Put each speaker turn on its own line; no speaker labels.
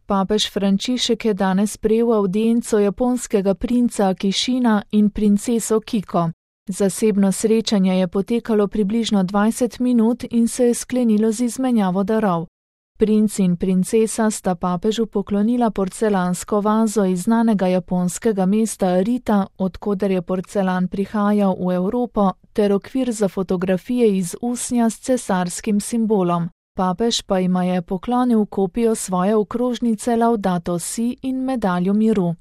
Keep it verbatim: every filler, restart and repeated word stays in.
Papež Frančišek je danes prejel avdienco japonskega princa Akishina in princeso Kiko. Zasebno srečanje je potekalo približno dvajset minut in se je sklenilo z izmenjavo darov. Princ in princesa sta papežu poklonila porcelansko vazo iz znanega japonskega mesta Arita, od koder je porcelan prihajal v Evropo, ter okvir za fotografije iz usnja s cesarskim simbolom. Papež pa jima je poklonil kopijo svoje okrožnice Laudato Si in medaljo miru.